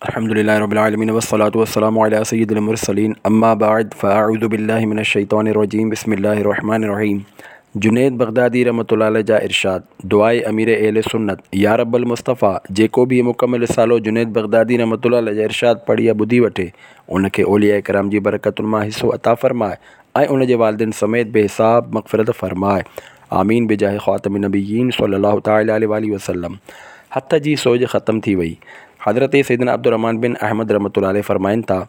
الحمد لله رب العالمين والصلاة والسلام علي سيد المرسلين اما بعد فاعوذ بالله من الشيطان الرجيم بسم الله الرحمن الرحيم جنيد بغدادي رحمة الله عليه جا ارشاد، دعاء امير اهل سنت، يا رب المصطفيٰ جيڪو به هي مڪمل رسالو جنيد بغدادي رحمة الله عليه جا ارشاد پڙهي يا ٻڌي وٺي ان کي اولياء ڪرام جي برڪتن مان حصو عطا فرماء ۽ ان جي والدين سميت بي حساب مغفرت فرماء آمين بجاه خاتم النبيين صلي الله تعالي عليه واٰله وسلم هٿ جي سوڄ ختم ٿي وئي. حضرت سيدنا عبدالرحمان بن احمد رحمة الله عليه فرمائن ٿا،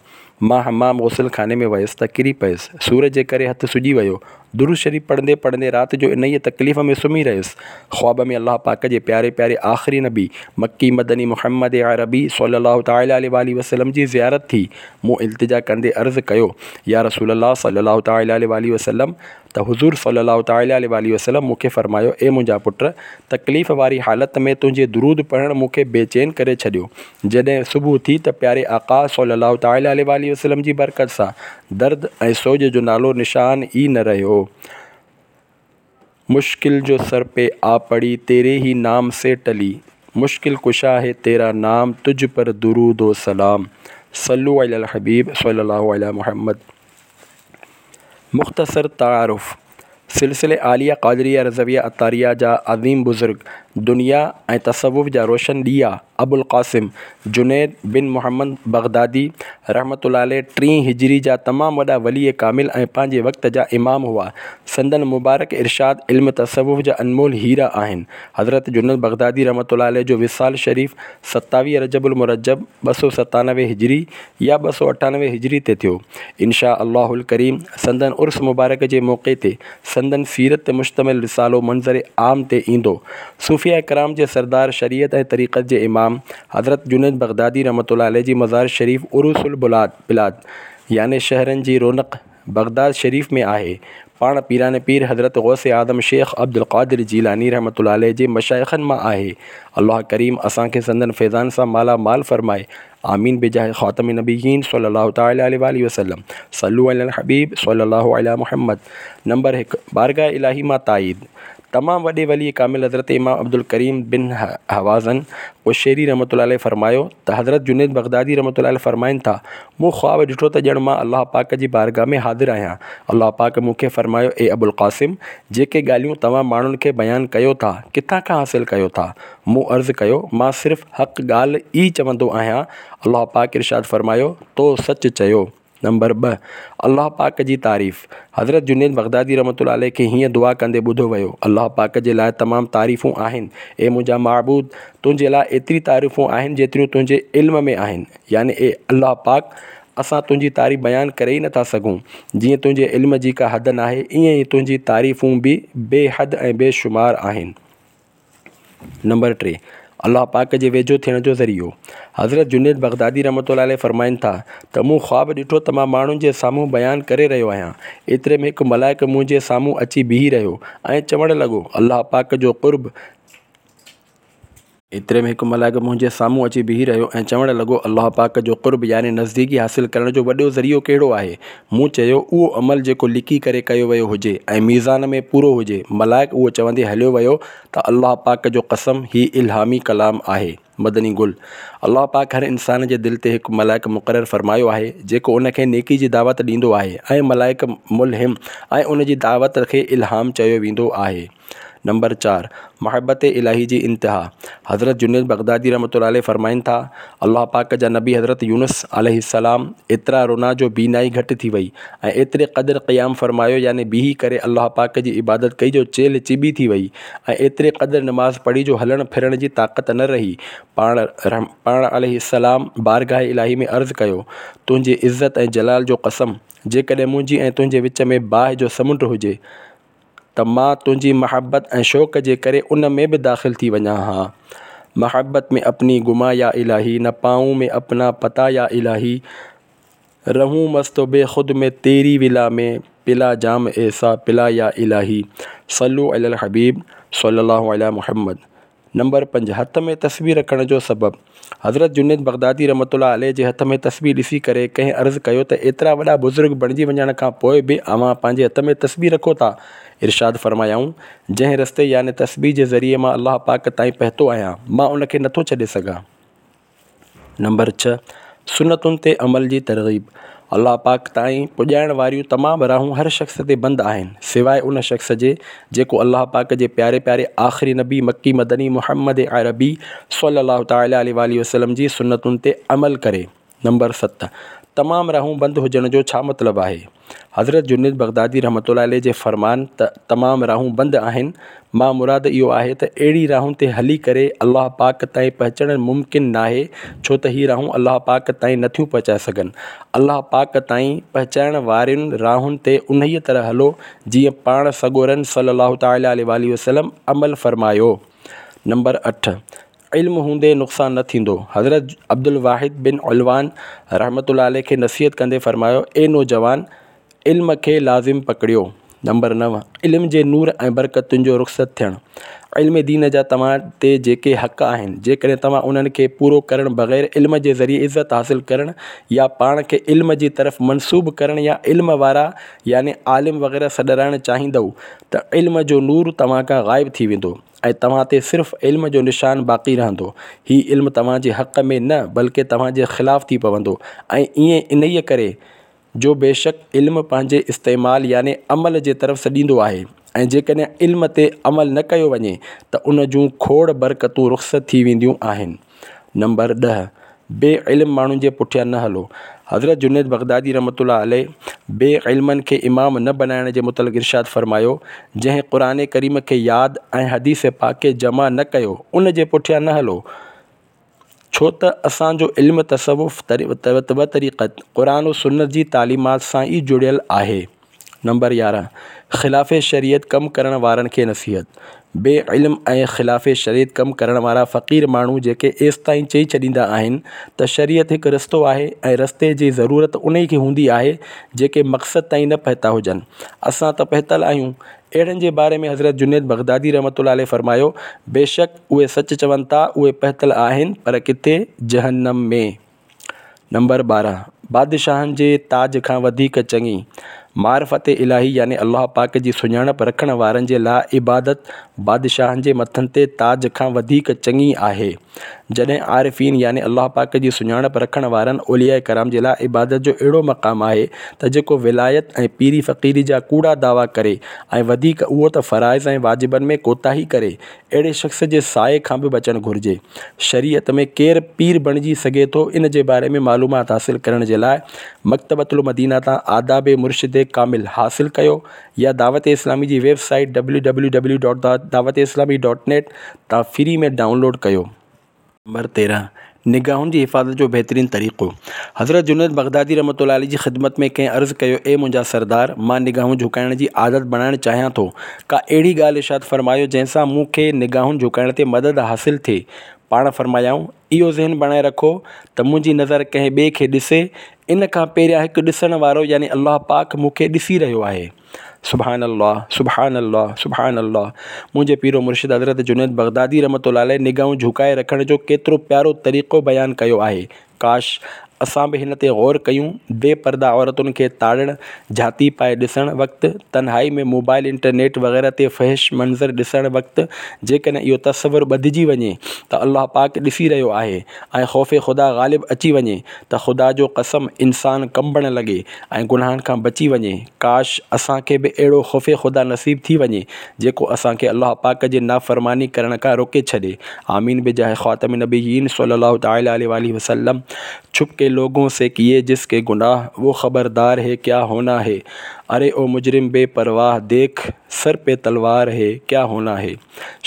مان حمام غسل خاني ۾ ويس ته ڪري پيس، سور جي ڪري هٿ سڄي ويو، درود شريف پڙهندي پڙهندي رات جو انهيء تڪليف ۾ سمهي رهيس. خواب ۾ الله پاڪ جي پياري پياري آخري نبي، مڪي مدني محمد عربي صلي الله تعالي عليه واٰله وسلم جي زيارت ٿي. مون التجا ڪندي عرض ڪيو، يا رسول الله صلي الله تعالي عليه واٰله وسلم! ته حضور صلّي الله تعالٰي عليه واٰله وسلّم مون کي فرمايو، اي منهنجا پٽ! تڪليف واري حالت ۾ تنهنجي درود پڙهڻ مون کي بي چين ڪري ڇڏيو. جڏهن صبح ٿي ته پياري آقا صلّي الله تعالٰي عليه واٰله وسلّم جي برڪت سان درد ۽ سوڄ جو نالو نشان ئي نه رهيو. مشڪل جو سر پي آ پڙي تيري هي نام سي ٽلي مشڪل ڪشا هي تيرا نام تجھ پر درود و سلام صلو علي الحبيب صلي الله علي محمد. مختصر تعارف، سلسلي عاليه قادريه رضويه عطاريه جا عظيم بزرگ، دنيا ۽ تصوف جا روشن ڏيئا ابوالقاسم جنيد بن محمد بغدادي رحمة الله عليه ٽين هجري جا تمام وڏا ولي ڪامل ۽ پنهنجي وقت جا امام هئا. سندن مبارڪ ارشاد علم تصوف جا انمول هيرا آهن. حضرت جنيد بغدادي رحمة الله عليه جو وصال شريف 27 رجب المرجب 297 هجري يا 298 هجري تي ٿيو. انشاء الله الڪريم سندن عرس مبارڪ جي موقعي تي سندن سيرت تي مشتمل رسالو منظر عام تي ايندو. صوفياء ڪرام جي سردار شريعت ۽ طريقت جي امام حضرت جنيد بغدادي رحمة الله عليه جي مزار شريف عروس البلاد بلاد يعني شهرن جي رونق بغداد شريف ۾ آهي. پاڻ پيران پير حضرت غوث اعظم شيخ عبدالقادر جيلاني رحمة الله عليه جي مشائخن مان آهي. الله ڪريم اسان کي سندن فيضان سان مالا مال فرمائي. آمين بجاه خاتم النبيين صلي الله تعالي عليه واٰله وسلم صلو علي الحبيب صلي الله علي محمد نمبر هڪ، بارگاھ الاهي مان تائيد تمام وڏي ولي ڪامل حضرت امام عبدالڪريم بن هوازن قشيري رحمة الله عليه فرمايو ته حضرت جنيد بغدادي رحمة الله عليه فرمائن ٿا، مون خواب ڏٺو ته ڄڻ مان الله پاڪ جي بارگاھ ۾ حاضر آهيان. الله پاڪ مون کي فرمايو اي ابوالقاسم! جيڪي ڳالهيون توهان ماڻهن کي بيان ڪيو ٿا، ڪٿان کان حاصل ڪيو ٿا؟ مون عرض ڪيو، مان صرف حق ڳالهه ئي چوندو آهيان. الله پاڪ ارشاد فرمايو، تو سچ چيو. نمبر ٻه، الله پاڪ جي تعريف، حضرت جنيد بغدادي رحمة الله عليه کي هيئن دعا ڪندي ٻڌو ويو، الله پاڪ جي لاء تمام تعريفون آهن، اي منهنجا معبود! تنهنجي لاء ايتري تعريفون آهن جيتريون تنهنجي علم ۾ آهن، يعني اي الله پاڪ! اسان تنهنجي تعريف بيان ڪري ئي نٿا سگهون، جيئن تنهنجي علم جي ڪا حد ناهي ائين ئي تنهنجي تعريفون به بي حد ۽ بي شمار آهن. نمبر ٽي، الله پاڪ جي ويجهو ٿيڻ جو ذريعو، حضرت جنيد بغدادي رحمة الله عليه فرمائن ٿا ته مون خواب ڏٺو ته مان ماڻهن جي سامهون بيان ڪري رهيو آهيان، ايتري ۾ هڪ ملائڪ منهنجي سامهون اچي بيهي رهيو ۽ چوڻ لڳو، الله پاڪ جو قرب. ايتري ۾ هڪ ملائڪ منهنجي سامهون اچي بيهي رهيو ۽ چوڻ لڳو، الله پاڪ جو قرب يعني نزديڪي حاصل ڪرڻ جو وڏو ذريعو ڪهڙو آهي؟ مون چيو، اهو عمل جيڪو لڪي ڪري ڪيو ويو هجي ۽ ميزان ۾ پورو هجي. ملائڪ اهو چوندي هليو ويو ته الله پاڪ جو قسم هي الهامي ڪلام آهي. مدني گل. الله پاڪ هر انسان جي دل تي هڪ ملائڪ مقرر فرمايو آهي جيڪو ان کي نيڪي جي دعوت ڏيندو آهي ۽ ملائڪ ملهم ۽ ان جي دعوت کي الهام چيو ويندو آهي. نمبر چار، محبت الاهي جي انتها، حضرت جنيد بغدادي رحمة الله عليه فرمائن ٿا، الله پاڪ جا نبي حضرت يونس عليه السلام ايترا رنا جو بينائي گهٽ ٿي وئي ۽ ايتري قدر قيام فرمايو يعني بيهي ڪري الله پاڪ جي عبادت ڪئي جو چيلهه چٻي ٿي وئي ۽ ايتري قدر نماز پڙهي جو هلڻ ڦرڻ جي طاقت نه رهي پاڻ پاڻ عليه السلام بارگاھ الاهي ۾ عرض ڪيو تنهنجي عزت ۽ جلال جو قسم جيڪڏهن منهنجي ۽ تنهنجي وچ ۾ باهه جو سمنڊ هجي ته مان تنهنجي محبت ۽ شوق جي ڪري ان ۾ به داخل ٿي وڃان ها. محبت ۾ اپني گما يا الاهي نه پائون مين اپنا پتا يا الاهي رهون مست و بي خود مين تيري ولا ۾ پلا جام ايسا پلا يا الاهي صلو علي الحبيب صلي الله علي محمد نمبر پنج، هٿ ۾ تسبيح رکڻ جو سبب، حضرت جنيد بغدادي رحمة الله عليه جي هٿ ۾ تسبيح ڏسي ڪري ڪنهن عرض ڪيو ته ايترا وڏا بزرگ بڻجي وڃڻ کان پوء به اوهان پنهنجي هٿ ۾ تسبيح رکو ٿا؟ ارشاد فرمايائون، جنهن رستي يعني تسبيح جي ذريعي مان الله پاڪ تائين پهتو آهيان، مان ان کي نٿو ڇڏي سگهان. نمبر ڇهه، سنتن تي عمل جي ترغيب، الله پاڪ تائين پڄائڻ واريون تمام راهون هر شخص تي بند آهن، سواء ان شخص جي جيڪو الله پاڪ جي پياري پياري آخري نبي مڪي مدني محمد عربي صلي الله تعالٰي عليه واٰله وسلم جي سنتن تي عمل ڪري. نمبر ست، تمام راهون بند هجڻ جو ڇا مطلب آهي؟ حضرت جنيد بغدادي رحمة الله عليه جي فرمان ته تمام راهون بند آهن مان مراد اهو آهي ته اهڙي راهن تي هلي ڪري الله پاڪ تائين پهچڻ ممڪن ناهي ڇو ته هي راهون الله پاڪ تائين نٿيون پهچائي سگهن. الله پاڪ تائين پهچائڻ وارين راهن تي انهيء طرح هلو جيئن پاڻ سڳورن صلّي الله تعالٰي عليه واٰله وسلّم عمل فرمايو. نمبر اٺ، علم هوندي نقصان نه ٿيندو. حضرت عبدالواحد بن علوان رحمة الله عليه کي نصيحت ڪندي فرمايو، اي نوجوان! علم کي لازم پڪڙيو. نمبر نو، علم جي نور ۽ برڪتن جو رخصت ٿيڻ. علم دين جا توهان تي جيڪي حق آهن، جيڪڏهن توهان انهن کي پورو ڪرڻ بغير علم جي ذريعي عزت حاصل ڪرڻ يا پاڻ کي علم جي طرف منسوب ڪرڻ يا علم وارا يعني عالم وغيره سڏرائڻ چاهيندؤ ته علم جو نور توهان کان غائب ٿي ويندو. ۽ توهان تي صرف علم جو نشان باقي رهندو. هي علم توهان جي حق ۾ نه بلڪه توهان جي خلاف ٿي پوندو ۽ ائين انهيء ڪري جو بيشڪ علم پنهنجي استعمال يعني عمل جي طرف سڏيندو آهي ۽ جيڪڏهن علم تي عمل نه ڪيو وڃي ته ان جون کوڙ برڪتون رخصت ٿي وينديون آهن. نمبر ڏهه، بي علم ماڻهن جي پٺيان نه هلو. حضرت جنيد بغدادي رحمة الله عليه بي علمن کي امام نه بنائڻ جي متعلق ارشاد فرمايو، جنهن قرآن ڪريم کي ياد ۽ حديث پاڪ کي جمع نه ڪيو ان جي پٺيان نه هلو، ڇو ته اسان جو علم تصوف و طريقت قرآن و سنت جي تعليمات سان ئي جڙيل آهي. نمبر 11، خلاف شريعت ڪم ڪرڻ وارن کي نصيحت، بي علم ۽ خلاف شريعت ڪم ڪرڻ وارا فقير ماڻهو جيڪي ايستائين چئي ڇڏيندا آهن ته شريعت هڪ رستو آهي ۽ رستي جي ضرورت انهي کي هوندي آهي جيڪي مقصد تائين نه پهتا هجن اسان ته پهتل آهيون اهڙن جي باري ۾ حضرت جنيد بغدادي رحمة الله عليه فرمايو بيشڪ اهي سچ چون ٿا اهي پهتل آهن پر ڪٿي جهنم ۾. نمبر 12، بادشاهن جي تاج کان وڌيڪ چڱي معرفت الاهي يعني الله پاڪ جي سڃاڻپ رکڻ وارن جي لاء عبادت بادشاهن جي مٿن تي تاج کان وڌيڪ چڱي آهي. جڏهن عارفين يعني الله پاڪ جي سڃاڻپ رکڻ وارن اولياء ڪرام جي لاء عبادت جو اهڙو مقام آهي ته جيڪو ولايت ۽ پيري فقيري جا ڪوڙا دعويٰ ڪري ۽ وڌيڪ اهو ته فرائض ۽ واجبن ۾ ڪوتاهي ڪري اهڙي شخص جي سائي کان به بچڻ گهرجي. شريعت ۾ ڪير پير بڻجي سگهي ٿو ان جي باري ۾ معلومات حاصل ڪرڻ جي لاء مڪتبة المدينه تان آداب مرشد ڪامل حاصل ڪيو يا دعوت اسلامي جي web site W W W dot Dawat Islami dot net تان فري ۾ ڊائونلوڊ ڪيو. نمبر 13، نگاهن جي حفاظت جو بهترين طريقو، حضرت جنيد بغدادي رحمة الله عليه جي خدمت ۾ ڪنهن عرض ڪيو، اي منهنجا سردار! مان نگاهون جهڪائڻ جي عادت بڻائڻ چاهيان ٿو، ڪا اهڙي ڳالهه ارشاد فرمايو جنهن سان مون کي نگاهن جهڪائڻ تي مدد حاصل ٿئي. پاڻ فرمايائون، اهو ذهن بڻائي رکو ته منهنجي نظر ڪنهن ٻئي کي ڏسي، ان کان پهريان هڪ ڏسڻ وارو يعني الله پاڪ مون کي ڏسي رهيو آهي. سبحان الله سبحان الله سبحان الله منهنجي پير و مرشد حضرت جنيد بغدادي رحمة الله عليه نگاهون جهڪائي رکڻ جو ڪيترو پيارو طريقو بيان ڪيو آهي ڪاش اسان به هن تي غور ڪيون بي پرده عورتن کي تاڙڻ جهاتي پائي ڏسڻ وقت تنهائي ۾ موبائل انٽرنيٽ وغيره تي فحش منظر ڏسڻ وقت جيڪڏهن اهو تصور ٻڌجي وڃي ته الله پاڪ ڏسي رهيو آهي ۽ خوف خدا غالب اچي وڃي ته خدا جو قسم انسان ڪنبڻ لڳي ۽ گناهن کان بچي وڃي، ڪاش! اسان کي به اهڙو خوف خدا نصيب ٿي وڃي جيڪو اسان کي الله پاڪ جي نافرماني ڪرڻ کان روڪي ڇڏي، آمين بجاه خاتم النبيين صلي الله تعالي عليه واٰله وسلم چھپ ڪي لوگون سي ڪيئي جس ڪي گناھ وو خبردار هي ڪيا هونا هي اري او مجرم بي پرواھ ديک سر پي تلوار هي ڪيا هونا هي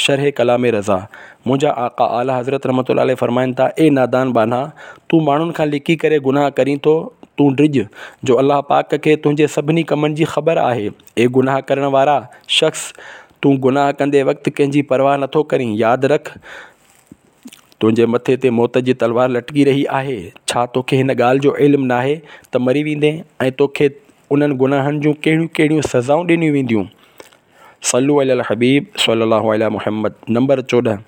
شرح ڪلام رضا منهنجا آقا اعليٰ حضرت رحمة الله عليه فرمائن ٿا، اي نادان ٻانها! تون ماڻهن کان لڪي ڪري گناهه ڪرين ٿو، تون ڊڄ، جو الله پاڪ کي تنهنجي سڀني ڪمن جي خبر آهي. اي گناهه ڪرڻ وارا شخص! تون گناهه ڪندي وقت ڪنهن جي پرواهه نٿو ڪرين، ياد رک! تنهنجي مٿي تي موت جي تلوار لٽڪي رهي آهي، ڇا توکي هن ڳالهه جو علم ناهي ته مري ويندين ۽ توکي انهن گناهن جون ڪهڙيون ڪهڙيون سزائون ڏنيون وينديون؟ صلو علی الحبيب صلي الله علی محمد نمبر 14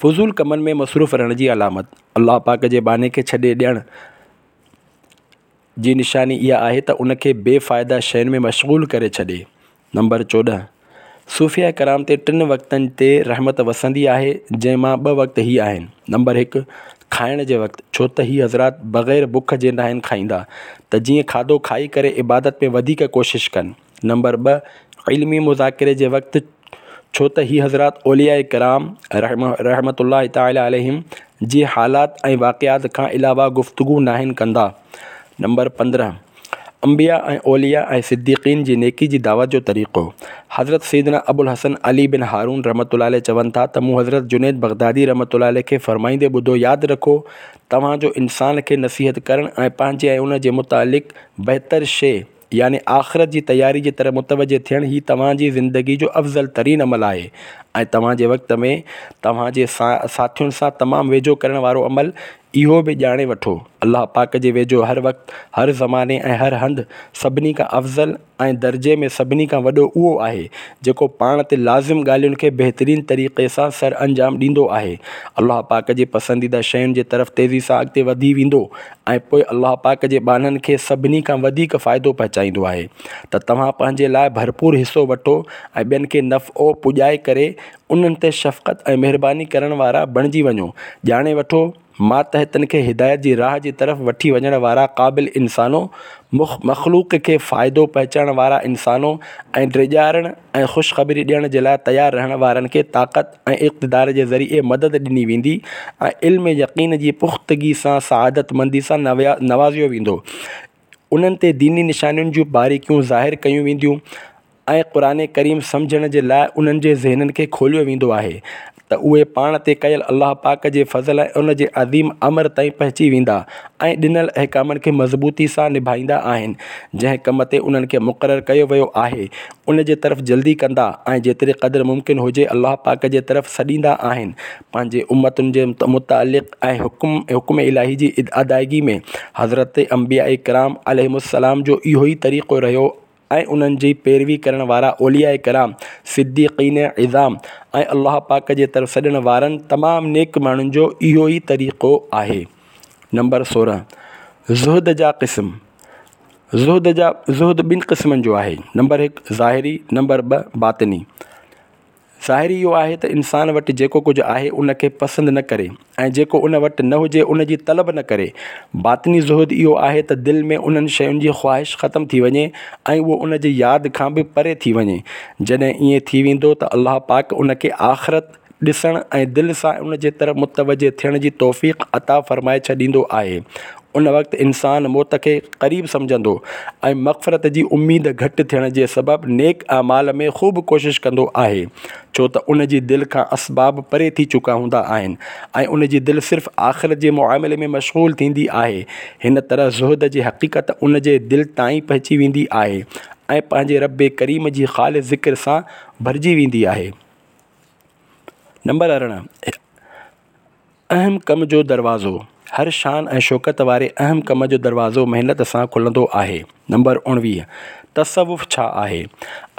فضول ڪمن ۾ مصروف رهڻ جي علامت الله پاڪ جي ٻانهي کي ڇڏي ڏيڻ جي نشاني اها آهي ته ان کي بي فائده شين ۾ مشغول ڪري ڇڏي نمبر 14 صوفياء ڪرام تي ٽن وقتن تي رحمت وسندي آهي جنهن مان ٻه وقت هي آهن نمبر 1 کائڻ جي وقت، ڇو ته هي حضرات بغير بک جي ناهن کائيندا ته جيئن کاڌو کائي ڪري عبادت ۾ وڌيڪ ڪوشش ڪن. نمبر 2، علمي مذاڪري جي وقت، ڇو ته هي حضرات اولياء ڪرام رحمة الله تعالٰي عليهم جي حالات ۽ واقعات کان علاوه گفتگو ناهن ڪندا. نمبر 15، انبياء ۽ اولياء ۽ صديقين جي نيڪي جي دعوت جو طريقو، حضرت سيدنا ابوالحسن علي بن هارون رحمة الله عليه چون ٿا ته مون حضرت جنيد بغدادي رحمة الله عليه کي فرمائيندي ٻڌو ياد رکو توهان جو انسان کي نصيحت ڪرڻ ۽ پنهنجي ۽ ان جي متعلق بهتر شيء يعني آخرت جي تياري جي طرف متوجه ٿيڻ هي توهان جي زندگي جو افضل ترين عمل آهي ۽ توهان جي وقت ۾ توهان جي ساٿين سان تمام ويجهو ڪرڻ وارو عمل اهو به ڄاڻي وٺو، الله پاڪ جي ويجهو هر وقت، هر زماني ۽ هر هنڌ سڀني کان افضل ۽ درجي ۾ سڀني کان وڏو اهو آهي، جيڪو پاڻ تي لازم ڳالهين کي بهترين طريقي سان سرانجام ڏيندو آهي. الله پاڪ جي پسنديده شين جي طرف تيزي سان اڳتي وڌي ويندو ۽ پوء الله پاڪ جي ٻانهن کي سڀني کان وڌيڪ فائدو پهچائيندو آهي ته توهان پنهنجي لاء ڀرپور حصو وٺو ۽ ٻين کي نفعو پڄائي ڪري انهن تي شفقت ۽ مهرباني ڪرڻ وارا بڻجي وڃو. ڄاڻي وٺو، ماتحتن کي هدايت جي راهه جي طرف وٺي وڃڻ وارا قابل انسانو، مخلوق کي فائدو پهچائڻ وارا انسانو ۽ ڊيڄارڻ ۽ خوشخبري ڏيڻ جي لاء تيار رهڻ وارن کي طاقت ۽ اقتدار جي ذريعي مدد ڏني ويندي ۽ علم يقين جي پختگي سان سعادتمندي سان نوازيو ويندو. انهن تي ديني نشانين جون باريڪيون ظاهر ڪيون وينديون ۽ قرآن ڪريم سمجهڻ جي لاء انهن جي ذهنن کي کوليو ويندو آهي ته اهي پاڻ تي ڪيل الله پاڪ جي فضل ۽ ان جي عظيم امر تائين پهچي ويندا ۽ ڏنل احڪامن کي مضبوطي سان نڀائيندا آهن جنهن ڪم تي انهن کي مقرر ڪيو ويو آهي ان جي طرف جلدي ڪندا ۽ جيتري قدر ممڪن هجي الله پاڪ جي طرف سڏيندا آهن پنهنجي امتن جي متعلق ۽ حڪم حڪم الاهي جي ادائگي ۾ حضرت انبياء ڪرام عليهم السلام جو اهو ئي طريقو رهيو ۽ انهن جي پيروي ڪرڻ وارا اولياء ڪرام، صديقين عظام ۽ الله پاڪ جي طرف سڏڻ وارن تمام نيڪ ماڻهن جو اهو ئي طريقو آهي. نمبر 16، زهد جا قسم، زهد جا زهد ٻن قسمن جو آهي، نمبر 1 ظاهري، نمبر 2 باطني. ظاهري اهو آهي ته انسان وٽ جيڪو ڪجهه آهي ان کي پسند نه ڪري ۽ جيڪو ان وٽ نه هجي ان جي طلب نه ڪري. باطني زهد اهو آهي ته دل ۾ انهن شين جي خواهش ختم ٿي وڃي ۽ اهو ان جي ياد کان به پري ٿي وڃي. جڏهن ائين ٿي ويندو ته الله پاڪ ان کي آخرت ڏسڻ ۽ دل سان ان جي طرف متوجه ٿيڻ جي توفيق عطا فرمائي ڇڏيندو آهي. ان وقت انسان موت کي قريب سمجهندو ۽ مغفرت جي اميد گهٽ ٿيڻ جي سبب نيڪ اعمال ۾ خوب ڪوشش ڪندو آهي، ڇو ته ان جي دل کان اسباب پري ٿي چڪا هوندا آهن ۽ ان جي دل صرف آخرت جي معاملي ۾ مشغول ٿيندي آهي. هن طرح زهد جي حقيقت ان جي دل تائين پهچي ويندي آهي ۽ پنهنجي رب ڪريم جي خالص ذڪر سان ڀرجي ويندي آهي. نمبر 18، اهم ڪم جو دروازو، هر شان ۽ شوڪت واري اهم ڪم جو دروازو محنت سان کلندو آهي. نمبر 19، تصوف ڇا آهي؟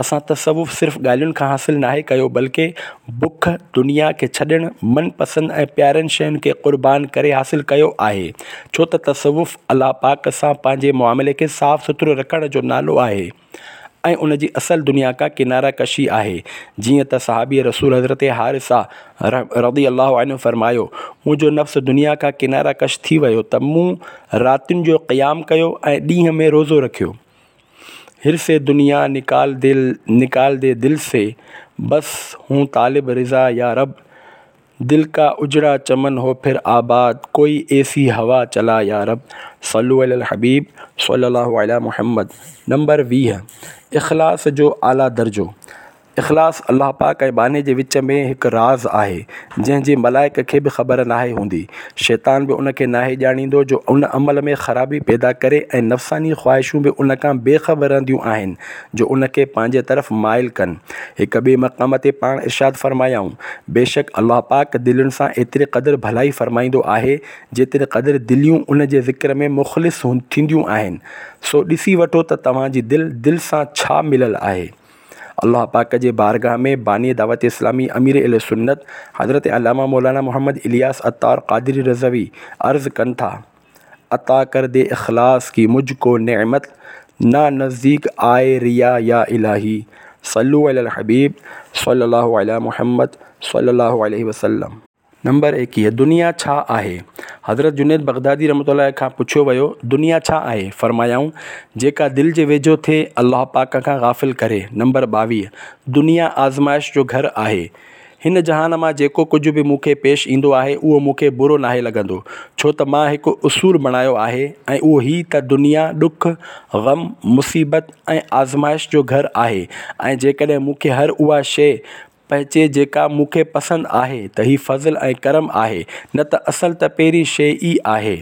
اسان تصوف صرف ڳالهين کان حاصل ناهي ڪيو بلڪه بک، دنيا کي ڇڏڻ، من پسند ۽ پيارين شين کي قربان ڪري حاصل ڪيو آهي. ڇو ته تصوف الله پاڪ سان پنهنجي معاملي کي صاف سٿرو رکڻ جو نالو آهي. ۽ ان جي اصل دنيا کان ڪناره ڪشي آهي، جيئن ته صحابي رسول حضرت حارثه رضي الله عنه فرمايو، منهنجو نفس دنيا کان ڪناره ڪش ٿي ويو ته مون راتين جو قيام ڪيو ۽ ڏينهن ۾ روزو رکيو. حرص دنيا نڪال دل نڪال the دل سي، بس هون طالب رضا يا رب. دل ڪا اجڙا چمن هو ڦر آباد ڪوئي ايسي هوا چلا يا رب صلو علي الحبيب صلي الله علي محمد نمبر 20، اخلاص جو اعليٰ درجو، اخلاص الله پاڪ ۽ ٻانهي جي وچ ۾ هڪ راز آهي جنهن جي ملائڪ کي به خبر ناهي هوندي شيطان به ان کي ناهي ڄاڻيندو جو ان عمل ۾ خرابي پيدا ڪري ۽ نفساني خواهشون به ان کان بي خبر رهنديون آهن جو ان کي پنهنجي طرف مائل ڪن. هڪ ٻئي مقام تي پاڻ ارشاد فرمايائون، بيشڪ الله پاڪ دلين سان ايتري قدر ڀلائي فرمائيندو آهي، جيتري قدر دليون ان جي ذڪر ۾ مخلص ٿينديون آهن. سو ڏسي وٺو ته توهان جي دل، دل سان ڇا مليل آهي؟ الله پاڪ جي بارگاهه ۾ باني دعوت اسلامي امير اهل سنت حضرت علامه مولانا محمد الياس عطار قادري رضوي عرض ڪن ٿا. عطا ڪر the اخلاص ڪي مجھ ڪو نعمت نا نزديڪ آئي ريا يا الٰهي صلو علي الحبيب صلي الله علي محمد صلي الله عليه وسلم. نمبر 21، دنيا ڇا آهي؟ حضرت جنيد بغدادي رحمة الله عليه کان پڇيو ويو، دنيا ڇا آهي؟ فرمايائون، جيڪا دل جي ويجهو ٿئي الله پاڪ کان غافل ڪري. نمبر 22، دنيا آزمائش جو گهر آهي. هن جهان مان جيڪو ڪجهه به مون کي پيش ايندو آهي اهو مون کي برو ناهي لڳندو ڇو ته مان هڪ اصول بڻايو آهي ۽ اهو هي ته دنيا ڏک، غم، مصيبت ۽ آزمائش جو گهر آهي ۽ جيڪڏهن مون کي هر اها شيء پهچي جيڪا مون کي پسند آهي ته هي فضل ۽ ڪرم آهي نه ته اصل ته پهرين شيء ئي آهي.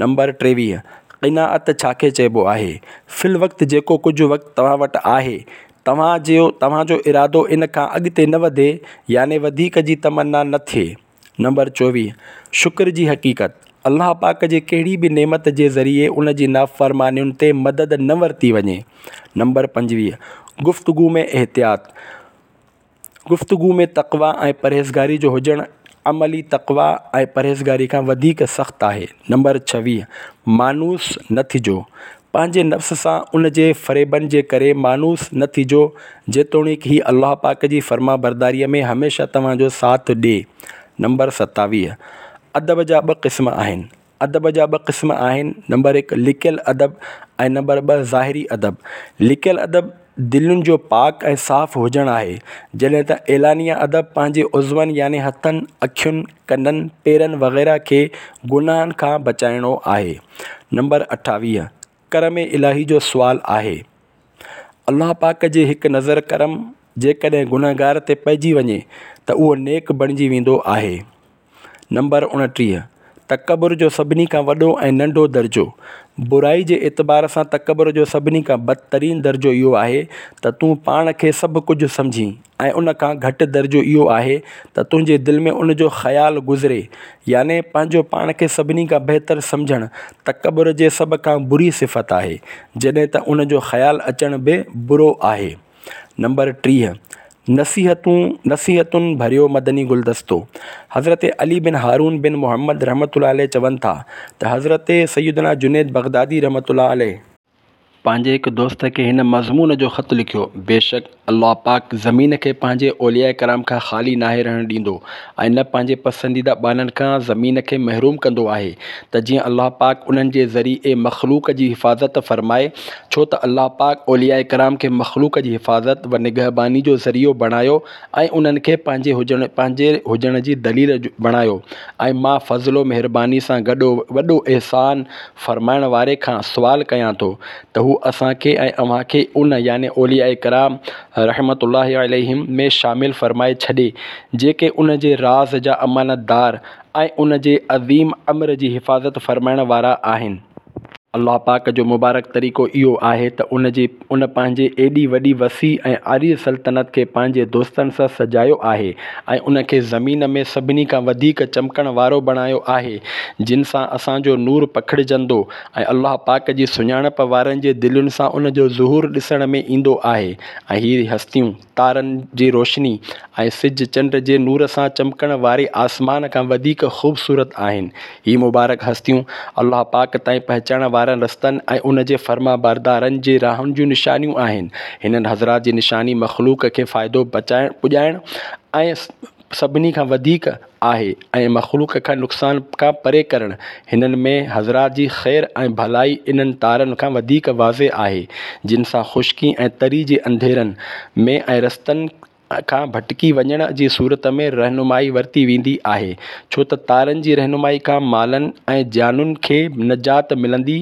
نمبر 23، قناعت ڇا کي چئبو آهي؟ في الوقت جيڪو ڪجهه وقت توهان وٽ آهي توهان جو توهان جو ارادو ان کان اڳتي نه وڌي يعني وڌيڪ جي تمنا نه ٿئي. نمبر 24، شڪر جي حقيقت، الله پاڪ جي ڪهڙي به نعمت جي ذريعي ان جي نافرمانين تي مدد نه ورتي وڃي. نمبر 25، گفتگو ۾ احتياط، گفتگو ۾ تقويٰ ۽ پرهيزگاري جو هجڻ عملي تقويٰ ۽ پرهيزگاري کان وڌيڪ سخت آهي. نمبر 26، مانوس نه ٿجو، پنهنجي نفس سان ان جي فريبن جي ڪري مانوس نه ٿجو جيتوڻيڪ هي الله پاڪ جي فرمانبرداريء ۾ هميشه توهان جو ساٿ ڏي. نمبر 27، ادب جا ٻه قسم آهن. ادب جا ٻه قسم آهن، نمبر هڪ لڪيل ادب ۽ نمبر ٻه ظاهري ادب. لڪيل ادب دلين جو پاڪ ۽ صاف هجڻ آهي، جڏهن ته اعلانيه ادب پنهنجي عضون يعني هٿن، اکين، ڪنن، پيرن وغيره کي گناهن کان بچائڻو آهي. نمبر 28، ڪرم الاهي جو سوال آهي. الله پاڪ جي هڪ نظر ڪرم جيڪڏهن گنهگار تي پئجي وڃي ته اهو نيڪ بڻجي ويندو آهي. نمبر 29، تڪبر جو سڀني کان وڏو ۽ ننڍو درجو، برائي جي اعتبار سان تڪبر جو سڀني کان بدترين درجو اهو آهي ته تون پاڻ کي سڀ ڪجهه سمجهين ۽ ان کان گهٽ درجو اهو آهي ته تنهنجي دل ۾ ان جو خيال گذري يعني پنهنجو پاڻ کي سڀني کان بهتر سمجهڻ تڪبر جي سڀ کان بري صفت آهي جڏهن ته ان جو خيال اچڻ به برو آهي. نمبر 30، نصيحتون نصيحتن ڀريو مدني گلدستو، حضرت علي بن هارون بن محمد رحمة الله عليه چون ٿا ته حضرت سيدنا جنيد بغدادي رحمة الله عليه، پنهنجي هڪ دوست کي هن مضمون جو خط لکيو، بيشڪ الله پاڪ زمين کي پنهنجي اولياء ڪرام کان خالي ناهي رهڻ ڏيندو ۽ نه پنهنجي پسنديده ٻانهن کان زمين کي محروم ڪندو آهي ته جيئن الله پاڪ انهن جي ذريعي مخلوق جي حفاظت فرمائي ڇو ته الله پاڪ اولياء ڪرام کي مخلوق جي حفاظت و نگهباني جو ذريعو بڻايو ۽ انهن کي پنهنجي هجڻ پنهنجي هجڻ جي دليل بڻايو ۽ مان فضل و مهرباني سان گڏ وڏو احسان فرمائڻ واري کان سوال ڪيان ٿو ته هو اسان کي ۽ اوهان کي ان، يعني اولياء ڪرام رحمة الله عليهم، ۾ شامل فرمائي ڇڏي جيڪي ان جي راز جا امانتدار ۽ ان جي عظيم امر جي حفاظت فرمائڻ وارا آهن. الله پاڪ جو مبارڪ طريقو اهو آهي ته ان جي ان پنهنجي ايڏي وڏي وسيع ۽ عريض سلطنت کي پنهنجي دوستن سان سجايو آهي ۽ ان کي زمين ۾ سڀني کان وڌيڪ چمڪڻ وارو بڻايو آهي جن سان اسان جو نور پکڙجندو ۽ الله پاڪ جي سڃاڻپ وارن جي دلين سان ان جو ظهور ڏسڻ ۾ ايندو آهي ۽ هي هستيون تارن جي روشني ۽ سج چنڊ جي نور سان چمڪڻ واري آسمان کان وڌيڪ خوبصورت آهن. هي مبارڪ هستيون الله پاڪ تائين پهچائڻ وارن رستن ۽ ان جي فرمانبردارن جي راهن جون نشانيون آهن. هنن حضرات جي نشاني مخلوق کي فائدو پڄائڻ ۽ سڀني کان وڌيڪ آهي ۽ مخلوق کان نقصان کان پري ڪرڻ هنن ۾ حضرات جي خير ۽ ڀلائي انهن تارن کان وڌيڪ واضح آهي جن سان خشڪي ۽ تري جي انڌيرن ۾ ۽ رستن کان ڀٽڪي وڃڻ جي صورت ۾ رهنمائي ورتي ويندي آهي ڇو ته تارن جي رهنمائي کان مالن ۽ جانن کي نجات ملندي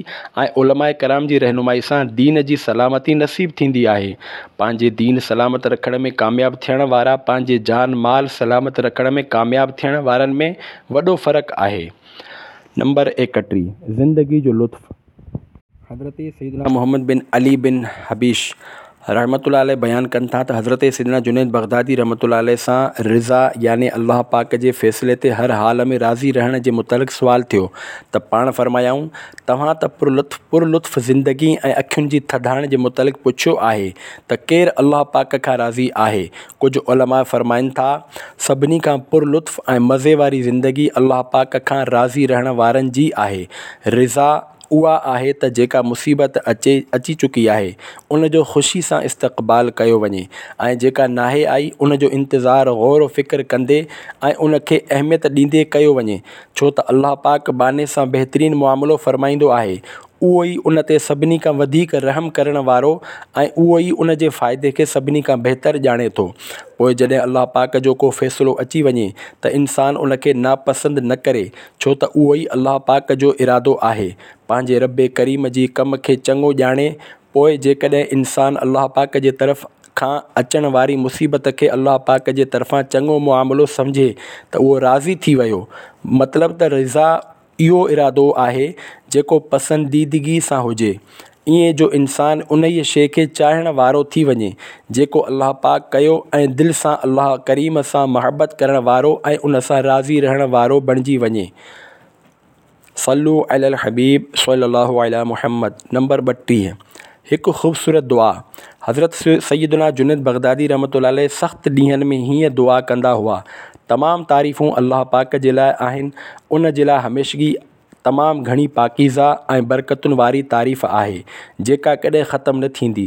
۽ علماء ڪرام جي رهنمائي سان دين جي سلامتي نصيب ٿيندي آهي. پنهنجي دين سلامت رکڻ ۾ ڪامياب ٿيڻ وارا پنهنجي جان مال سلامت رکڻ ۾ ڪامياب ٿيڻ وارن ۾ وڏو فرق آهي. نمبر 31، زندگي جو لطف. حضرت سيدنا محمد بن علي بن حبيش رحمة الله عليه بيان ڪن ٿا ته حضرت سيدنا جنيد بغدادي رحمة الله عليه سان رضا يعني الله پاڪ جي فيصلي تي هر حال ۾ راضي رهڻ جي متعلق سوال ٿيو ته پاڻ فرمايائون توهان ته پر لطف زندگي ۽ اکين جي ٿڌاڻ جي متعلق پڇيو آهي ته ڪير الله پاڪ کان راضي آهي ڪجهه علماء فرمائن ٿا سڀني کان پر لطف ۽ مزي واري زندگي الله پاڪ کان راضي رهڻ وارن جي آهي رضا. اها آهي ته جيڪا مصيبت اچي اچي چڪي آهي ان جو خوشي سان استقبال ڪيو وڃي ۽ جيڪا ناهي آئي ان جو انتظار غور و فڪر ڪندي ۽ ان کي اهميت ڏيندي ڪيو وڃي ڇو ته الله پاڪ ٻانهي سان بهترين معاملو فرمائيندو آهي اهو ئي ان تي سڀني کان وڌيڪ رحم ڪرڻ وارو ۽ اهو ئي ان جي فائدي کي سڀني کان بهتر ڄاڻي ٿو. پوء جڏهن الله پاڪ جو ڪو فيصلو اچي وڃي ته انسان ان کي ناپسند نه ڪري ڇو ته اهو ئي الله پاڪ جو ارادو آهي. پنهنجي رب ڪريم جي ڪم کي چڱو ڄاڻي پوء جيڪڏهن انسان الله پاڪ جي طرف کان اچڻ واري مصيبت کي الله پاڪ جي طرفان چڱو معاملو سمجهي ته اهو راضي ٿي ويو مطلب ته رضا اهو ارادو آهي جيڪو پسنديدگي سان هجي، ائين جو انسان انهيء شيء کي چاهڻ وارو ٿي وڃي، جيڪو الله پاڪ ڪيو ۽ دل سان الله ڪريم سان محبت ڪرڻ وارو ۽ ان سان راضي رهڻ وارو بڻجي وڃي. صلو علی الحبيب صلي الله علي محمد نمبر 32 هڪ خوبصورت دعا، حضرت سيدنا جنيد بغدادي رحمة الله عليه سخت ڏينهن ۾ هيئن دعا ڪندا هئا، تمام تعريفون الله پاڪ جي لاء آهن، ان جي لاء هميشگي تمام گهڻي پاڪيزه ۽ برڪتن واري تعريف آهي، جيڪا ڪڏهن ختم نه ٿيندي،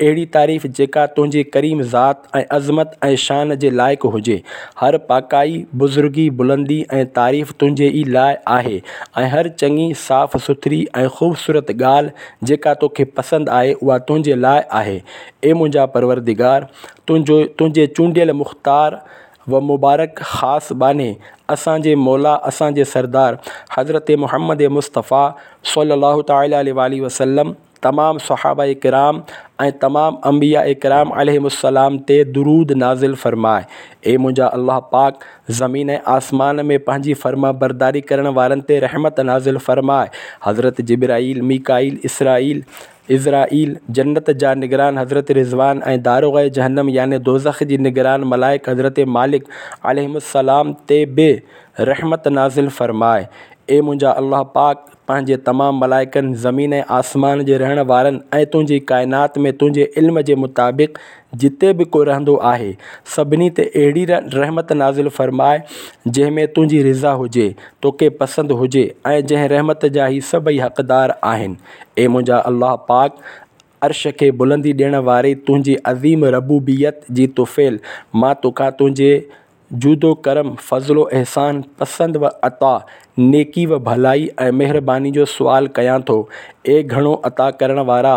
اهڙي تعريف جيڪا تنهنجي ڪريم ذات ۽ عظمت ۽ شان جي لائق هجي. هر پاڪائي، بزرگي، بلندي ۽ تعريف تنهنجي ئي لاء آهي ۽ هر چڱي، صاف سٿري ۽ خوبصورت ڳالهه جيڪا توکي پسند آهي اها تنهنجي لاء آهي. اي منهنجا پروردگار! تنهنجو تنهنجي چونڊيل مختار و مبارڪ خاص ٻانهي اسان جي مولا اسان جي سردار حضرت محمد مصطفيٰ صلي الله تعالٰي عليه واٰله وسلم تمام صحابه ڪرام ۽ تمام انبياء ڪرام عليهم السلام تي درود نازل فرماء. اي منهنجا الله پاڪ! زمين ۽ آسمان ۾ پنهنجي فرمانبرداري ڪرڻ وارن تي رحمت نازل فرماء. حضرت جبرائيل، ميڪائيل، اسرائيل، عزرائيل، جنت جا نگران حضرت رضوان ۽ داروغه جهنم يعني دوزخ جي نگران ملائڪ حضرت مالڪ عليهم السلام تي به رحمت نازل فرماء. اي منهنجا الله پاڪ! پنهنجي تمام ملائڪن، زمين ۽ آسمان جي رهڻ وارن ۽ تنهنجي ڪائنات ۾ تنهنجي علم جي مطابق جتي به ڪو رهندو آهي، سڀني تي اهڙي رحمت نازل فرماء، جنهن ۾ تنهنجي رضا هجي، توکي پسند هجي ۽ جنهن رحمت جا هي سڀئي حقدار آهن. اي منهنجا الله پاڪ! عرش کي بلندي ڏيڻ واري تنهنجي عظيم ربوبيت جي طفيل مان توکان تنهنجي جود و ڪرم، فضل و احسان، پسند و عطا، نيڪي و ڀلائي ۽ مهرباني جو سوال ڪيان ٿو. اي گهڻو عطا ڪرڻ وارا،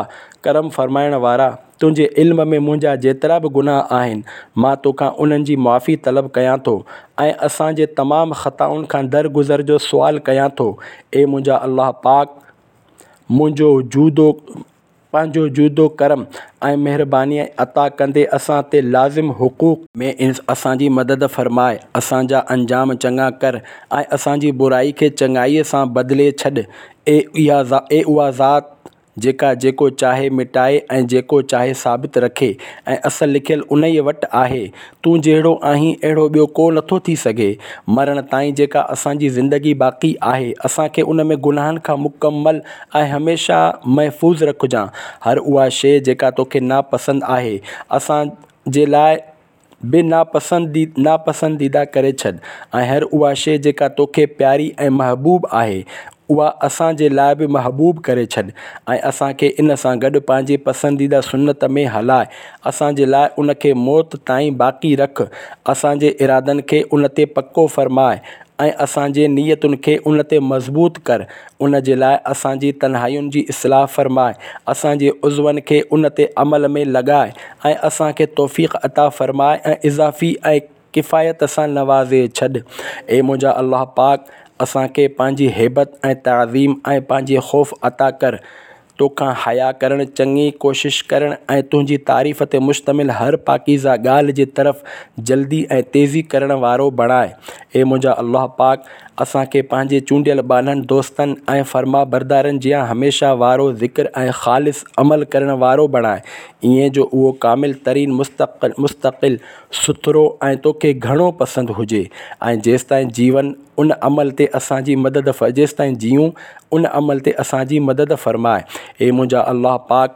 ڪرم فرمائڻ وارا! تنهنجي علم ۾ منهنجا جيترا به گناهه آهن، مان توکان انهن جي معافي طلب ڪيان ٿو ۽ اسان جي تمام خطائن کان درگذر جو سوال ڪيان ٿو. اي منهنجا الله پاڪ! منهنجو جود و. پنهنجو جود و ڪرم ۽ مهرباني عطا ڪندي اسان تي لازم حقوق. ۾ اسان جي مدد فرماء، اسان جا انجام چڱا ڪر ۽ اسان جي برائي کي چڱائيء سان بدلي ڇڏ. اي اها ذات جيڪا جيڪو چاهي مٽائي ۽ جيڪو چاهي ثابت رکي ۽ اصل لکيل انهيء وٽ آهي. تون جهڙو آهين اهڙو ٻيو ڪو نٿو ٿي سگهي. مرڻ تائين جيڪا اسان جي زندگي باقي آهي، اسان کي ان ۾ گناهن کان مڪمل ۽ هميشه محفوظ رکجان. هر اها شيء جيڪا توکي ناپسند آهي، اسان جي لاء به ناپسنديده ڪري ڇڏ ۽ هر اها شيء جيڪا توکي پياري ۽ محبوب آهي، اها اسان جي لاء به محبوب ڪري ڇڏ ۽ اسان کي ان سان گڏ پنهنجي پسنديده سنت ۾ هلاء، اسان جي لاء ان کي موت تائين باقي رک، اسان جي ارادن کي ان تي پڪو فرماء ۽ اسان جي نيتن کي ان تي مضبوط ڪر، ان جي لاء اسان جي تنهائين جي اصلاح فرماء، اسان جي عضون کي ان تي عمل ۾ لڳاء ۽ اسان کي توفيق عطا فرماء ۽ اضافي ۽ ڪفايت سان نوازي ڇڏ. اي منهنجا الله پاڪ! اسان کي پنهنجي هيبت ۽ تعظيم ۽ پنهنجي خوف عطا ڪر. توکان حياء ڪرڻ، چڱي ڪوشش ڪرڻ ۽ تنهنجي تعريف تي مشتمل هر پاڪيزه ڳالهه جي طرف جلدي ۽ تيزي ڪرڻ وارو بڻاء. اي منهنجا الله پاڪ! اسان کي پنهنجي چونڊيل ٻانهن، دوستن ۽ فرمانبردارن جيان هميشه وارو ذڪر ۽ خالص عمل ڪرڻ وارو بڻاء، ائين جو اهو ڪامل ترين، مستقل، سٿرو ۽ توکي گهڻو پسند هجي ۽ جيستائين جيون ان عمل تي اسان جي مدد جيستائين جيئون ان عمل تي اسان جي مدد فرماء. اي منهنجا الله پاڪ!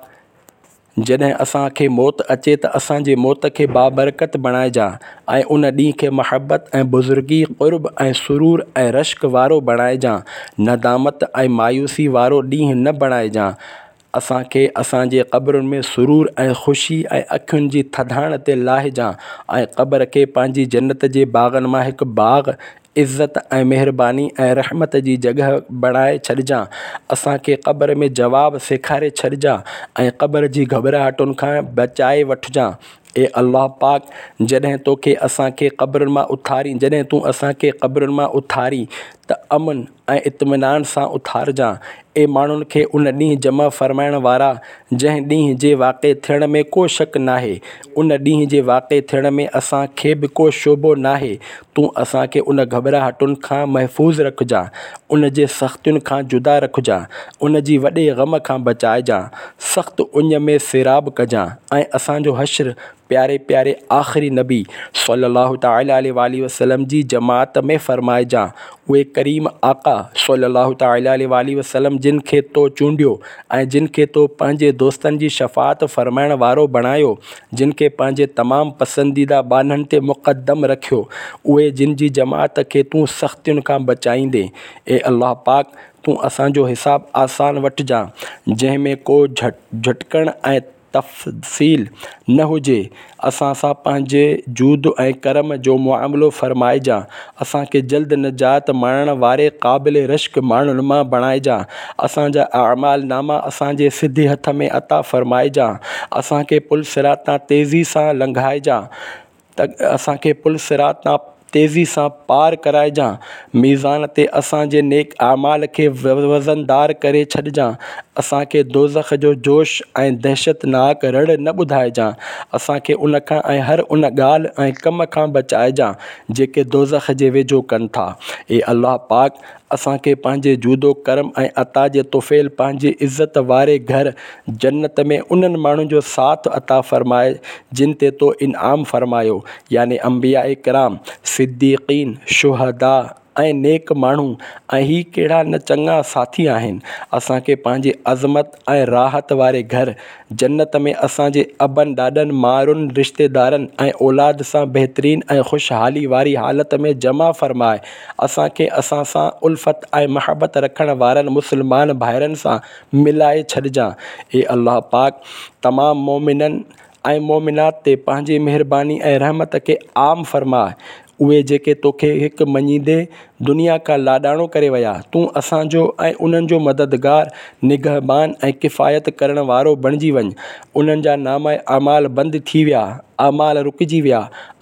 جڏهن اسان کي موت اچي ته اسان جي موت کي بابرڪت بڻائجان ۽ ان ڏينهن کي محبت ۽ بزرگي، قرب ۽ سرور ۽ رشڪ وارو بڻائجان، ندامت ۽ مايوسي وارو ڏينهن نه بڻائجان. اسان کي اسان جي قبرن ۾ سرور ۽ خوشي ۽ اکين جي ٿڌاڻ تي لاهجان ۽ قبر کي پنهنجي جنت جي باغن مان هڪ باغ عزت ۽ مهرباني ۽ رحمت جي جڳهه بڻائي ڇڏجان، اسان کي قبر ۾ جواب سيکاري ڇڏجان ۽ قبر جي گهٻراهٽن کان بچائي وٺجان. اي الله پاڪ! جڏهن توکي اسان کي قبرن مان اٿارين جڏهن تون اسان کي قبرن مان اٿارين ته امن ۽ اطمينان سان اٿارجان. اي ماڻهن کي ان ڏينهن جمع فرمائڻ وارا جنهن ڏينهن جي واقع ٿيڻ ۾ ڪو شڪ ناهي، ان ڏينهن جي واقع ٿيڻ ۾ اسان کي به ڪو شبهو ناهي، تون اسان کي ان گهٻراهٽن کان محفوظ رکجان، ان جي سختين کان جدا رکجان، ان جي وڏي غم کان بچائجان، سخت اڃ ۾ سيراب ڪجان ۽ اسان جو حشر پياري پياري آخري نبي صلّي الله تعالٰي عليه واٰله وسلّم جي جماعت ۾ فرمائجان، اهي ڪريم آقا صلّي الله تعالٰي عليه واٰله وسلّم جن کي تو چونڊيو ۽ جن کي تو پنهنجي دوستن جي شفاعت فرمائڻ وارو بڻايو، جن کي پنهنجي تمام پسنديده ٻانهن تي مقدم رکيو، اهي جن جي جماعت کي تون سختين کان بچائيندين. اي الله پاڪ! تون اسان جو حساب آسان وٺجان، جنهن ۾ ڪو جهٽڪڻ ۽ تفصيل نه هجي، اسان سان پنهنجي جود ۽ ڪرم جو معاملو فرمائجان، اسان کي جلد نجات ماڻڻ واري قابل رشڪ ماڻهن مان بڻائجان، اسان جا اعمال ناما اسان جي سڌي هٿ ۾ عطا فرمائجان، اسان کي پل صراط تان تيزي سان لنگهائجان. ته اسان کي پل صراط تان تيزي سان پار ڪرائجان، ميزان تي اسان جي نيڪ اعمال کي وزندار ڪري ڇڏجان، اسان کي دوزخ جو جوش ۽ دهشتناڪ رڙ نه ٻڌائجان، اسان کي ان کان ۽ هر ان ڳالهه ۽ ڪم کان بچائجان جيڪي دوزخ جي ويجهو ڪن ٿا. اي الله پاڪ! اسان کي پنهنجي جود و ڪرم ۽ عطا جي طفيل پنهنجي عزت واري گهر جنت ۾ انهن ماڻهن جو ساٿ عطا فرماء جن تي تو انعام فرمايو يعني انبياء ڪرام، صديقين، شهداء ۽ نيڪ ماڻهو ۽ هي ڪهڙا نه چڱا ساٿي آهن. اسان کي پنهنجي عظمت ۽ راحت واري گهر جنت ۾ اسان جي ابن ڏاڏن، مائرن، رشتيدارن ۽ اولاد سان بهترين ۽ خوشحالي واري حالت ۾ جمع فرماء. اسان کي اسان سان الفت ۽ محبت رکڻ وارن مسلمان ڀائرن سان ملائي ڇڏجان. اي الله پاڪ! تمام مؤمنن ۽ مؤمنات تي پنهنجي مهرباني ۽ رحمت کي عام فرماء. اهي جيڪي توکي هڪ مڃيندي دنيا کان لاڏاڻو ڪري ويا، تون اسان جو ۽ انهن جو مددگار، نگهبان ۽ ڪفايت ڪرڻ وارو بڻجي وڃ. انهن جا نامه اعمال بند ٿي ويا، اعمال رڪجي ويا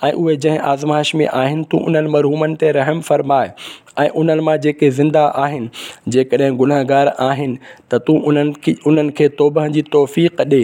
۽ اهي جنهن آزمائش ۾ آهن تون انهن مرحومن تي رحم فرماء. ۽ انهن مان جيڪي زنده آهن، جيڪڏهن گنهگار آهن ته تون انهن کي توبه جي توفيق ڏي.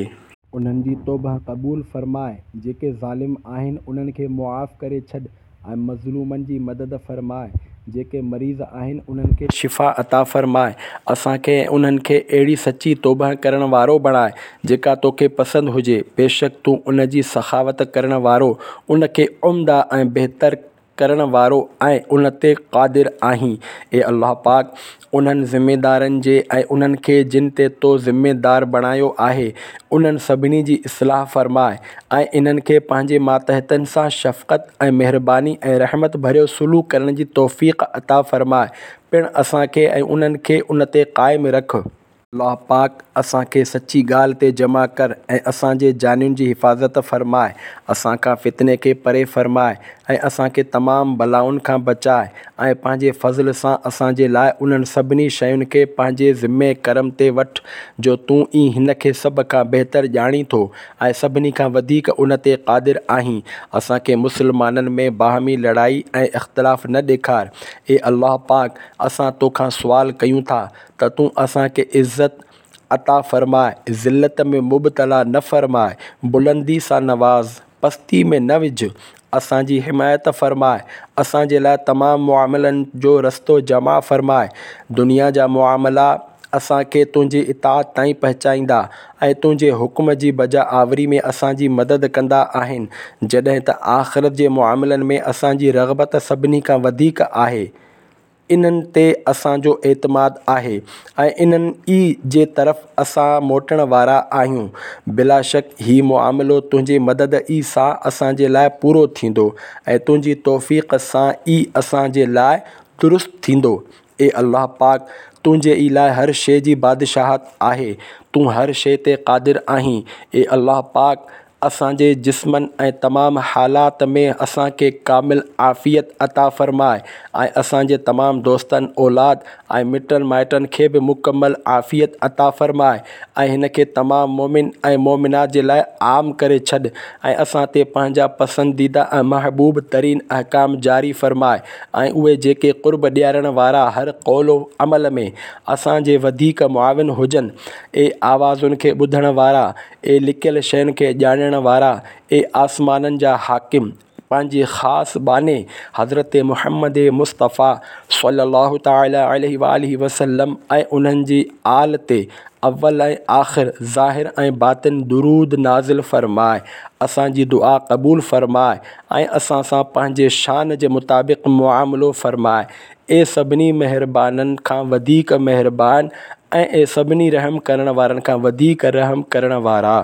انهن جي توبه قبول فرماء، جيڪي ظالم آهن انهن کي معاف ڪري ڇڏ ۽ مظلومن جي مدد فرماء، جيڪي مريض آهن انهن کي شفا عطا فرماء، اسان کي ۽ انهن کي اهڙي سچي توبه ڪرڻ وارو بڻاء، جيڪا توکي پسند هجي، بيشڪ تون ان جي سخاوت ڪرڻ وارو، ان کي عمده ۽ بهتر ڪرڻ وارو ۽ ان تي قادر آهين. اي الله پاڪ! انهن ذميدارن جي ۽ انهن کي جن تي تو ذميدار بڻايو آهي، انهن سڀني جي اصلاح فرماء ۽ انهن کي پنهنجي ماتحتن سان شفقت ۽ مهرباني ۽ رحمت ڀريو سلوڪ ڪرڻ جي توفيق عطا فرماء، پڻ اسان کي ۽ انهن کي ان تي قائم رک. الله پاڪ اسان کي سچي ڳالهه تي جمع ڪر ۽ اسان جي جانين جي حفاظت فرماء، اسان کان فتني کي پري فرماء ۽ اسان کي تمام بلائن کان بچاء ۽ پنهنجي فضل سان اسان جي لاء انهن سڀني شين کي پنهنجي ذمي ڪرم تي وٺ جو تون ئي هن کي سڀ کان بهتر ڄاڻين ٿو ۽ سڀني کان وڌيڪ ان تي قادر آهين، اسان کي مسلمانن ۾ باهمي لڙائي ۽ اختلاف نه ڏيکار، اي الله پاڪ اسان توکان سوال ڪيون ٿا ته تون اسان کي عزت عطا فرماء، ذلت ۾ مبتلا نه فرماء، بلندي سان نواز، پستي ۾ نه وجهه، اسان جي حمايت فرماء، اسان جي لاء تمام معاملن جو رستو جمع فرماء، دنيا جا معاملا اسان کي تنهنجي اطاعت تائين پهچائيندا ۽ تنهنجي حڪم جي بجا آوري ۾ اسان جي مدد ڪندا آهن، جڏهن ته آخرت جي معاملن ۾ اسان جي رغبت سڀني کان وڌيڪ آهي. انهن تي اسان جو اعتماد آهي ۽ انهن ئي جي طرف اسان موٽڻ وارا آهيون. بلاشڪ هي معاملو تنهنجي مدد ئي سان اسان جي لاء پورو ٿيندو ۽ تنهنجي توفيق سان ئي اسان جي لاء درست ٿيندو. اي الله پاڪ! تنهنجي ئي لاء هر شيء جي بادشاهت آهي، تون هر شيء تي قادر آهين. اي الله پاڪ! اسان جي جسمن ۽ تمام حالات ۾ اسان کي ڪامل عافيت عطا فرماء ۽ اسان جي تمام دوستن، اولاد ۽ مٽن مائٽن کي به مڪمل عافيت عطا فرماء ۽ هن کي تمام مؤمن ۽ مؤمنات جي لاء عام ڪري ڇڏ ۽ اسان تي پنهنجا پسنديده ۽ محبوب ترين احڪام جاري فرماء ۽ اهي جيڪي قرب ڏيارڻ وارا هر قول و عمل ۾ اسان جي وڌيڪ معاون هجن. اي آوازن کي ٻڌڻ وارا! اي لڪيل شين کي ڄاڻڻ وارا! اي آسمانن جا حاڪم! پنهنجي خاص ٻانهي حضرت محمد مصطفيٰ صلّي الله تعالٰي عليه واٰله وسلّم ۽ انهن جي آل تي اول ۽ آخر، ظاهر ۽ باطن درود نازل فرماء، اسان جي دعا قبول فرماء ۽ اسان سان پنهنجي شان جي مطابق معاملو فرماء. اي سڀني مهربانن کان وڌيڪ مهربان ۽ اي سڀني رحم ڪرڻ وارن کان وڌيڪ رحم ڪرڻ وارا!